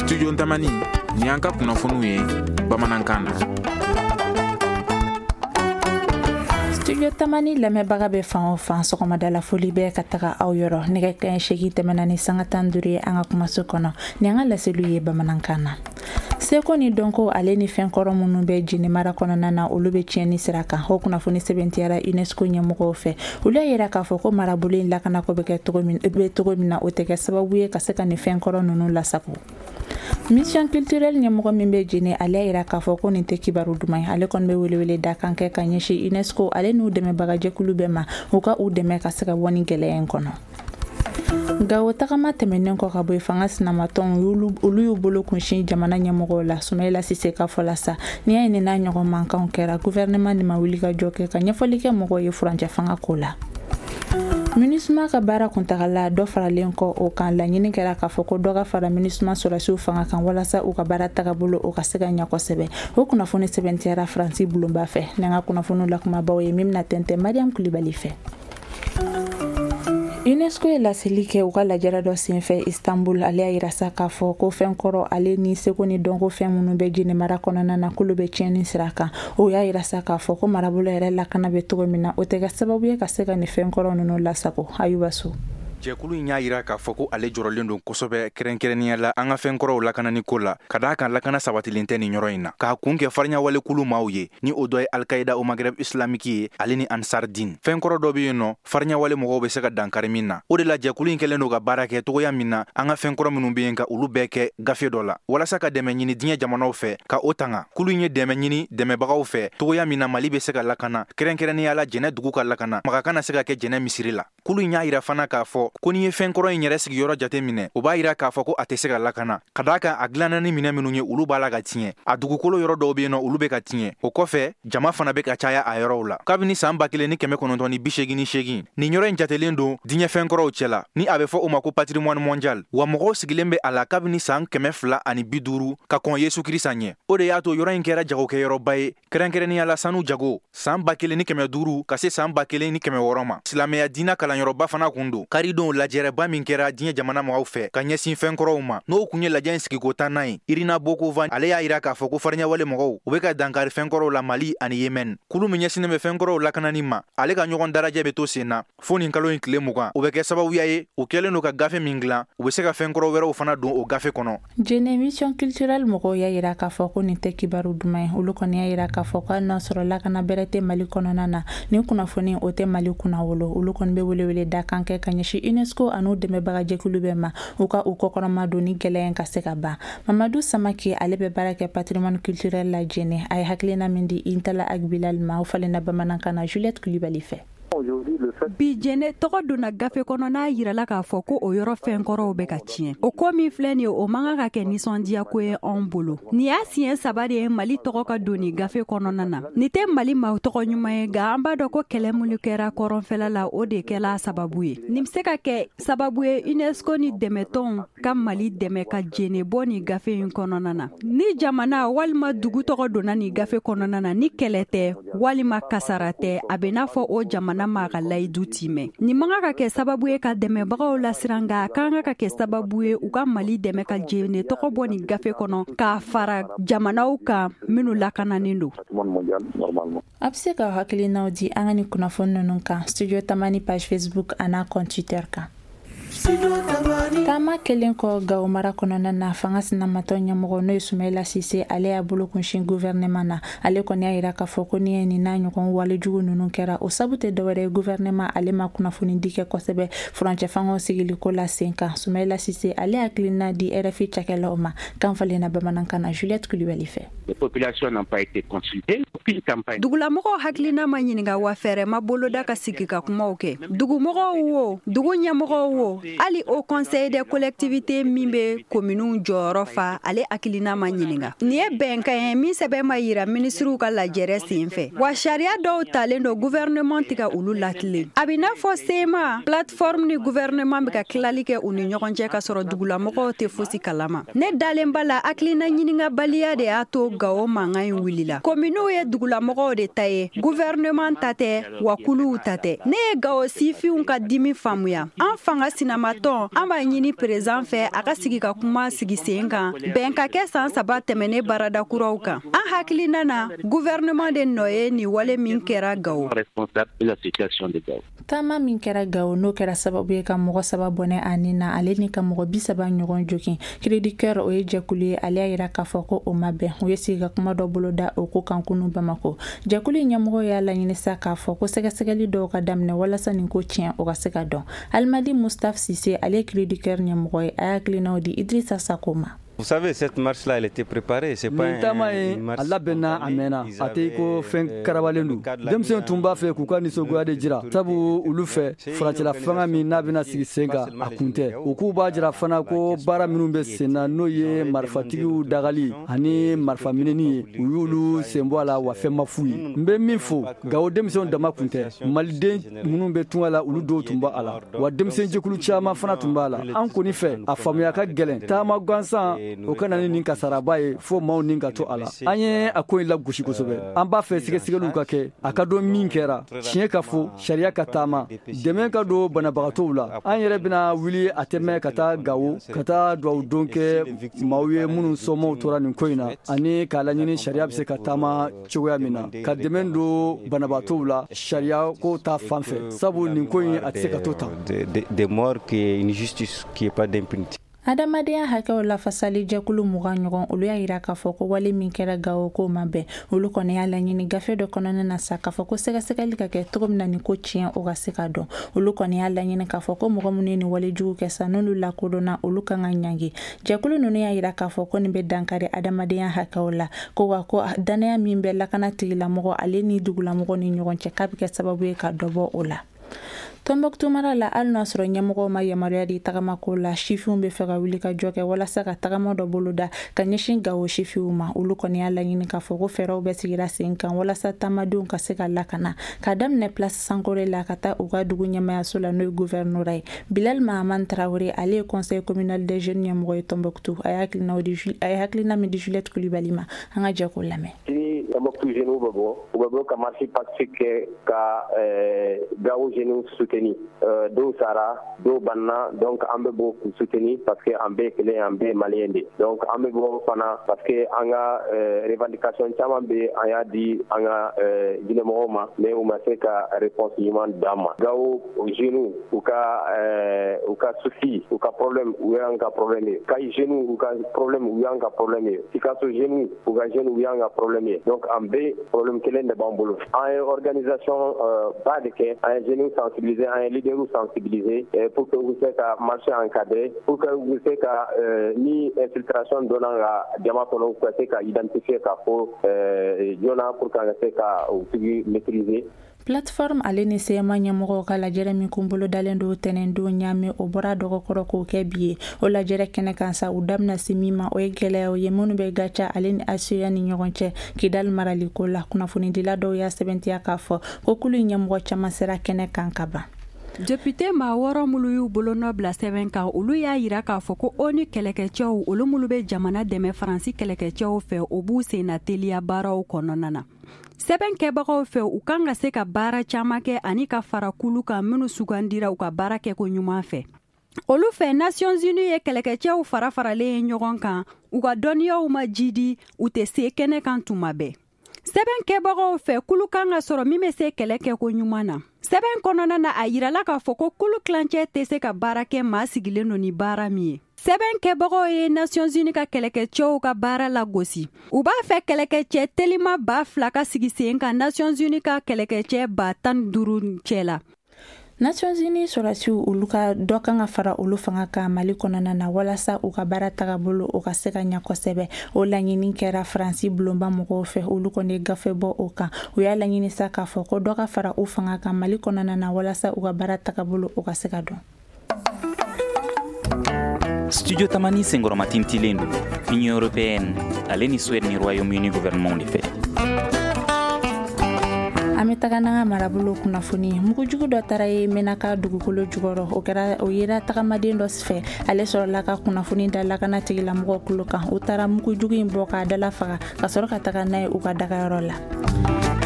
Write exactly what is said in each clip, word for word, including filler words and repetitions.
Studio Tamani, nin y'an ka kunnafoniw ye bamanankan na. Studio Tamani lamɛnbaga bɛ fan o fan, sɔgɔmada la foli bɛ ka taga aw yɔrɔ. Nɛgɛ kanɲɛ seegin tɛmɛna ni sanga tan duuru ye an ka kumaso kɔnɔ. Nin y'an ka laseliw ye bamanankan na. Seko ni dɔnko ale ni fɛn kɔrɔ minnu bɛ Jene mara kɔnɔna na, olu bɛ tiɲɛni sira kan. O kunnafoni sɛbɛntiyara UNESCO ɲɛmɔgɔw fɛ. Olu y'a yira k'a fɔ ko marabolo in lakanako bɛ kɛ cogo min bɛ cogo min na, o tɛ kɛ sababu ye ka se ka nin fɛn kɔrɔ ninnu lasago. Mission culturelle ɲɛmɔgɔ min bɛ Jene, ale y'a yira k'a fɔ ko nin tɛ kibaru duman ye. Ale kɔni bɛ welewele da kan kɛ ka ɲɛsin UNESCO ale n'u dɛmɛbagajɛkulu bɛɛ ma, u ka u dɛmɛ ka se ka bɔ nin gɛlɛya in kɔnɔ. Gawo tagama tɛmɛnen kɔ ka bɔ yen, fanga sinamatɔnw olu y'u bolo kunsin jamana ɲɛmɔgɔw la. Sumayila Sise ka fɔ la sa, n'i y'a ye nin n'a ɲɔgɔn mankanw kɛra, gouvernement de ma wuli ka jɔ kɛ ka ɲɛfɔli kɛ mɔgɔw ye furancɛ fanga ko la. MINUSMA ka baara kuntagala dɔ faralen kɔ o kan, laɲini kɛra k'a fɔ ko dɔ ka fara MINUSMA sɔrɔdasiw fanga kan walasa u ka baara tagabolo o ka se ka ɲɛ kosɛbɛ. O kunnafoni sɛbɛntiyara Faransi bulonba fɛ. N'an ka kunnafoniw lakumabaw ye min bɛna tɛntɛn Mariam Kulibali fɛ. UNESCO ye laseli kɛ u ka lajɛrɛ dɔ senfɛ Istanbul. Ale y'a yira sa k'a fɔ ko fɛn kɔrɔ ale ni seko ni dɔnko fɛn minnu bɛ Jene mara kɔnɔna na, k'olu bɛ tiɲɛni sira kan. O y'a yira sa k'a fɔ ko marabolo yɛrɛ lakana bɛ cogo min na, o tɛ kɛ sababu ye ka se ka nin fɛn kɔrɔ ninnu lasago. Ayuba So. Jɛkulu in y'a yira k'a fɔ ko ale jɔrɔlen don kosɛbɛ, kɛrɛnkɛrɛnnenya la an ka fɛnkɔrɔw lakanani ko la, ka d'a kan lakana sabatilen tɛ nin yɔrɔ in na, k'a kun kɛ fariɲawalekulu maaw ye, ni o dɔ ye Alkaïda au Maghreb islamique ye ale ni Ansar Din. Fɛnkɔrɔ dɔ bɛ yen nɔ, fariɲawale mɔgɔw bɛ se ka dankari min na. O de la jɛkulu in kɛlen don ka baara kɛ togoya min na, an ka fɛnkɔrɔ minnu bɛ yen, ka olu bɛɛ kɛ gafe dɔ la walasa ka dɛmɛ ɲini diɲɛ jamanaw fɛ ka o tanga. Kulu in ye dɛmɛ ɲini dɛmɛbagaw fɛ togoya min na Mali bɛ se ka lakana, kɛrɛnkɛrɛnnenya la Jɛnɛ dugu ka lakana, maga kana se ka kɛ Jɛnɛ misiri la. Kulu in y'a yira fana k'a fɔ ko n'i ye fɛnkɔrɔ in yɛrɛ sigiyɔrɔ jate minɛ, o b'a yira k'a fɔ ko a tɛ se ka lakana, ka d'a kan a dilanna ni minɛ minnu ye, olu b'a la ka tiɲɛ. A dugukolo yɔrɔ dɔw bɛ yen nɔ, olu bɛ ka tiɲɛ. O kɔfɛ, jama fana bɛ ka caya a yɔrɔw la. Kabini san ba kelen ni kɛmɛ kɔnɔntɔn ni bi seegin ni seegin, nin yɔrɔ in jatelen don diɲɛ fɛnkɔrɔw cɛ la, ni a bɛ fɔ o ma ko patrimoine mondial. Wa mɔgɔw sigilen bɛ a la kabini san kɛmɛ fila ani bi duuru ka kɔn Yesu Kirisa ɲɛ. O de y'a to yɔrɔ in kɛra jagokɛyɔrɔba ye, kɛrɛnkɛrɛnnenya la sanu jago, san ba kelen ni kɛmɛ duuru ka se san ba kelen ni kɛmɛ wɔɔrɔ ma. Silamɛya diinɛ kalanyɔrɔba fana kun don. Karidon, lajɛrɛba min kɛra diɲɛ jamana mɔgɔw fɛ ka ɲɛsin fɛnkɔrɔw ma, n'o kun ye lajɛ in sigiko tannan ye, Irina Bokova, ale y'a yira k'a fɔ ko fariɲawale mɔgɔw, u bɛ ka dankari fɛnkɔrɔw la Mali ani Yemen. Kulu min ɲɛsinnen bɛ fɛnkɔrɔw lakanani ma, ale ka ɲɔgɔn darajɛ bɛ to sen na fo nin kalo in tile mugan. O bɛ kɛ sababuya ye, u kɛlen don ka gafe min dilan, u bɛ se ka fɛnkɔrɔ wɛrɛw fana don o gafe kɔnɔ. Jene mission culturelle mɔgɔw y'a yira k'a fɔ ko nin tɛ kibaru duman ye. Olu kɔni y'a yira k'a fɔ ko hali n'a sɔrɔ lakana bɛrɛ tɛ Mali kɔnɔna na, nin kunnafoni o tɛ Mali kunna wolo. Olu kɔni bɛ welewele da kan kɛ ka ɲɛsin UNESCO an'u dɛmɛbagajɛkulu bɛɛ ma, u ka u kɔkɔrɔma don ni gɛlɛya in ka se ka ban. Mamadu Samake, ale bɛ baara kɛ patrimoine culturel la Jene. A ye hakilina min di Intala Agbilal ma, o falenna bamanankan na Juliette Kulibali fɛ. Bi, Jɛnɛ tɔgɔ donna gafe kɔnɔ, n'a yirala k'a fɔ ko o yɔrɔ fɛnkɔrɔw bɛ ka tiɲɛ. O ko min filɛ nin ye, o man kan ka kɛ nisɔndiyako ye anw bolo. Nin y'a siɲɛ saba de ye Mali tɔgɔ ka don nin gafe kɔnɔna na. Nin tɛ Mali ma tɔgɔ ɲuman ye, nka an b'a dɔn ko kɛlɛ minnu kɛra kɔrɔnfɛla la, o de kɛla sababu ye. Nin bɛ se ka kɛ sababu ye UNESCO ni dɛmɛtɔnw ka Mali dɛmɛ ka jene bɔ nin gafe in kɔnɔna na. Ni jamana walima dugu tɔgɔ donna nin gafe kɔnɔna na, ni kɛlɛ tɛ walima kasara tɛ, a bɛ n'a fɔ o jamana ma ka layidu timɛ. Nin man kan ka kɛ sababu ye ka dɛmɛbagaw lasiran, nka a kan ka kɛ sababu ye u ka Mali dɛmɛ ka jene tɔgɔ bɔ nin gafe kɔnɔ k'a fara jamanaw kan minnu lakananen don. A bɛ se ka hakilinaw di an ka nin kunnafoni ninnu kan Studio Tamani page Facebook an'a compte Twitter kan. Taama kelen kɔ Gawo mara kɔnɔna na, fanga sinamatɔ ɲɛmɔgɔ, n'o ye Sumayila Sise, ale y'a bolo kunsin gouvernement na. Ale kɔni y'a yira k'a fɔ ko ni ye nin n'a ɲɔgɔn walejugu ninnu kɛra, o sabu tɛ dɔwɛrɛ ye, gouvernement ale ma kunnafoni di kɛ kosɛbɛ furancɛ fangaw sigiliko la sen kan. Sumayila Sise, ale hakilina di R F I cakɛlaw ma, kan falenna bamanankan na Juliette Kulibali fɛ. Dugulamɔgɔw hakilina ma ɲininka, wa fɛɛrɛ ma boloda ka sigi ka kumaw kɛ. Dugumɔgɔw wo, dugu ɲɛmɔgɔw wo, hali Haut Conseil des collectivités min bɛ kominiw jɔyɔrɔ fa, ale hakilina ma ɲininka. Nin ye bɛnkan ye min sɛbɛn ma yira minisiriw ka lajɛrɛ sen fɛ, wa sariya dɔw talen don, gouvernement tɛ ka olu latilen. A bɛ n'a fɔ C M A plateforme ni gouvernement bɛ ka tilali kɛ u ni ɲɔgɔn cɛ, ka sɔrɔ dugulamɔgɔw tɛ fosi kalama. Ne dalen ba la, hakilina ɲininkabaliya de y'a to Gawo mankan in wulila. Kominiw ye dugulamɔgɔw de ta ye, gouvernement ta tɛ, wa kuluw ta tɛ. Ne ye Gawo sifinw ka dimi faamuya. An fanga sinamatɔnw Senkɔrɔmatɔn, an b'a ɲini président fɛ a ka sigi ka kuma sigi sen kan, bɛn ka kɛ san saba tɛmɛnen baarada kuraw kan. An hakilina na, gouvernement de nɔ ye nin wale min kɛra Gawo. Taama min kɛra Gawo, n'o kɛra sababu ye ka mɔgɔ saba bɔnɛ a nin na, ale ni ka mɔgɔ bi saba ɲɔgɔn jogin. Cri du Cœur, o ye jɛkulu ye, ale y'a yira k'a fɔ ko o ma bɛn. U ye sigi ka kuma dɔ boloda o ko kan kunu Bamako. Jɛkulu in ɲɛmɔgɔ y'a laɲini sa k'a fɔ ko sɛgɛsɛgɛli dɔw ka daminɛ walasa nin ko tiɲɛ o ka se ka dɔn. Alimadi Mustapha Sise, ale ye Cri du Cœur ɲɛmɔgɔ ye, a y'a hakilinaw di Idrissa Sako ma. Vous savez, cette marche-là, elle était préparée. C'est pas Nin taama in, a labɛnna a mɛnna, a tɛ ko fɛn karabalen don. Denmisɛnw tun b'a fɛ k'u ka nisɔngoya de jira, sabu olu fɛ, furancɛla fanga min n'a bɛna sigi sen kan, a kun tɛ. U k'u b'a jira fana ko baara minnu bɛ sen na, n'o ye marifatigiw dagali ani marifa minɛni ye, u y'olu sen bɔ a la, wa fɛn ma f'u ye. N bɛ min fo, Gawo denmisɛnw dama kun tɛ, maliden minnu bɛ tunga la, olu dɔw tun b'a la, wa denmisɛnjɛkulu caman fana tun b'a la. An kɔni fɛ, a faamuya ka gɛlɛn, taama gansan o ka na ni nin kasaraba ye fo maaw nin ka to a la. An ye a ko in lagosi kosɛbɛ. An b'a fɛ sɛgɛsɛgɛliw ka kɛ, a ka dɔn min kɛra, tiɲɛ ka fɔ, sariya ka taama, dɛmɛ ka don banabagatɔw la. An yɛrɛ bɛna wuli a tɛmɛ ka taa Gawo, ka taa duwawu don kɛ maaw ye minnu somɔgɔw tora nin ko in na, ani k'a laɲini sariya bɛ se ka taama cogoya min na, ka dɛmɛ don banabagatɔw la sariya ko ta fan fɛ, sabu nin ko in a tɛ se ka to tan. Des morts qui est une justice qui est pas d'impunité. Adamadenya hakɛw lafasali jɛkulu mugan ɲɔgɔn, olu y'a yira k'a fɔ ko wale min kɛra Gawo, k'o ma bɛn. Olu kɔni y'a laɲini gafe dɔ kɔnɔna na sa k'a fɔ ko sɛgɛsɛgɛli ka kɛ cogo min na nin ko tiɲɛ o ka se ka dɔn. Olu kɔni y'a laɲini k'a fɔ ko mɔgɔ minnu ye nin wale jugu kɛ sa, n'olu lakodɔnna, olu kan ka ɲangi. Jɛkulu ninnu y'a yira k'a fɔ ko nin bɛ dankari adamadenya hakɛw la, ko wa ko danaya min bɛ lakana tigilamɔgɔ ale ni dugulamɔgɔ ni ɲɔgɔn cɛ, k'a bɛ kɛ sababu ye ka dɔ bɔ o la. Tɔnbɔkutu mara la, hali n'a sɔrɔ ɲɛmɔgɔw ma yamaruya di tagamako la, sifinw bɛ fɛ ka wuli ka jɔ kɛ walasa ka tagama dɔ boloda ka ɲɛsin Gawo sifinw ma. Olu kɔni y'a laɲini k'a fɔ ko fɛɛrɛw bɛ sigira sen kan walasa taamadenw ka se ka lakana, ka daminɛ Place Sankore la ka taa u ka dugu ɲɛmayaso la, n'o ye gouvernorat ye. Bilal Mahaman Traoré, ale ye conseil communal des jeunes ɲɛmɔgɔ ye Tɔnbɔkutu, a ye hakilinaw di, a ye hakilina min di Juliette Kulibali ma, an ka jɛ k'o lamɛn. Ni Tɔnbɔkutu jeunes bɛ bɔ, u bɛ bɔ ka marche pacifique kɛ ka Gawo jeunes soutenir. Dɔw sara, dɔw banna, donc an bɛ bɔ k'u soutenir parce que an bɛɛ kelen, an bɛɛ malien de. Donc an bɛ bɔ fana parce que an ka revendication caman bɛ, an y'a di an ka diinɛmɔgɔw ma, mais u ma se ka réponse ɲuman d'an ma. Gawo jeunes u ka u ka souci, u ka problème, u y'an ka problème ye. Kayi jeunes u ka problème, u y'an ka problème ye. Sikaso jeunes u ka jeunes, u y'an ka problème ye. Donc an bɛɛ problème kelen de b'an bolo. An ye organisation ba de kɛ, an ye jeunes sensibiliser, an ye leaders sensibiliser pour que u bɛ se ka marché encadrer, pour que u bɛ se ka ni infiltration donna ka jama kɔnɔ, u ka se ka identifier ka fɔ joona pour que an ka se ka o tigi maîtriser. Plateforme ale ni C M A ɲɛmɔgɔw ka lajɛrɛ min kun bolo dalen don tɛnɛndon Ɲame, o bɔra dɔgɔkɔrɔ k'o kɛ bi ye. O lajɛrɛ kɛnɛ kan sa, u da bɛna se min ma, o ye gɛlɛyaw ye minnu bɛ Gaca ale ni A C E A ni ɲɔgɔn cɛ Kidali maraliko la. Kunnafonidila dɔw y'a sɛbɛntiya k'a fɔ ko kulu in ɲɛmɔgɔ caman sera kɛnɛ kan ka ban. Député maa wɔɔrɔ minnu y'u bolonɔ bila sɛbɛn kan, olu y'a yira k'a fɔ ko ONU kɛlɛkɛcɛw, olu minnu bɛ jamana dɛmɛ Faransi kɛlɛkɛcɛw fɛ, o b'u senna teliya baaraw kɔnɔna na. Sɛbɛn kɛbagaw fɛ, u kan ka se ka baara caman kɛ ani ka fara kulu kan minnu sugandira u ka baara kɛko ɲuman fɛ. Olu fɛ, Nations Unies ye kɛlɛkɛcɛw fara faralen ye ɲɔgɔn kan, u ka dɔnniyaw ma jidi, u tɛ se kɛnɛ kan tuma bɛɛ. Sɛbɛn kɛbagaw fɛ, kulu kan ka sɔrɔ min bɛ se kɛlɛ kɛko ɲuman na. Sɛbɛn kɔnɔna na, a yirala k'a fɔ ko kulu tilancɛ tɛ se ka baara kɛ maa sigilen don ni baara min ye. Sɛbɛn kɛbagaw ye Nations Unies ka kɛlɛkɛcɛw ka baara lagosi. U b'a fɛ kɛlɛkɛcɛ telima ba fila ka sigi sen kan Nations Unies ka kɛlɛkɛcɛ ba tan ni duuru cɛ la. Nations Unies sɔrɔdasiw, olu ka dɔ kan ka fara olu fanga kan Mali kɔnɔna na walasa u ka baara tagabolo o ka se ka ɲɛ kosɛbɛ. O laɲini kɛra Faransi bulonba mɔgɔw fɛ, olu kɔni ye gafe bɔ o kan. U y'a laɲini sa k'a fɔ ko dɔ ka fara u fanga kan Mali kɔnɔna na walasa u ka baara tagabolo o ka se ka dɔn. Studio Tamani senkɔrɔmatintilen don Union européenne ale ni Suède ni Royaume-Uni gouvernement de fɛ. An bɛ taga n'an ka marabolo kunnafoni. Mugujugu dɔ taara ye Menaka dugukolo jukɔrɔ, o kɛra o yera tagamaden dɔ fɛ, ale sɔrɔla ka kunnafoni da lakana tigilamɔgɔw kulo kan. U taara mugujugu in bɔ k'a dala faga ka sɔrɔ ka taga n'a ye u ka dagayɔrɔ la.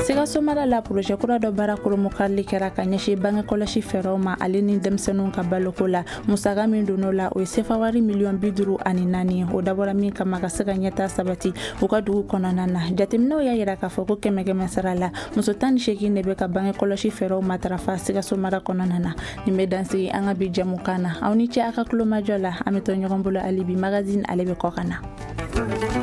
Sikaso mara la, projet kura dɔ baara koromokarili kɛra ka ɲɛsin bange kɔlɔsi fɛɛrɛw ma ale ni denmisɛnninw ka baloko la. Musaka min donn'o la, o ye sefa wari miliyɔn bi duuru ani naani. O dabɔra min kama, ka se ka ɲɛta sabati u ka dugu kɔnɔna na. Jateminɛw y'a yira k'a fɔ ko kɛmɛ kɛmɛ sara la, muso tan ni seegin de bɛ ka bange kɔlɔsi fɛɛrɛw matarafa Sikaso mara kɔnɔna na. Nin bɛ dansigi an ka bi jɛmukan na. Aw ni ce a ka kulomajɔ la. An bɛ to ɲɔgɔn bolo hali bi. Magazine, ale bɛ kɔ ka na.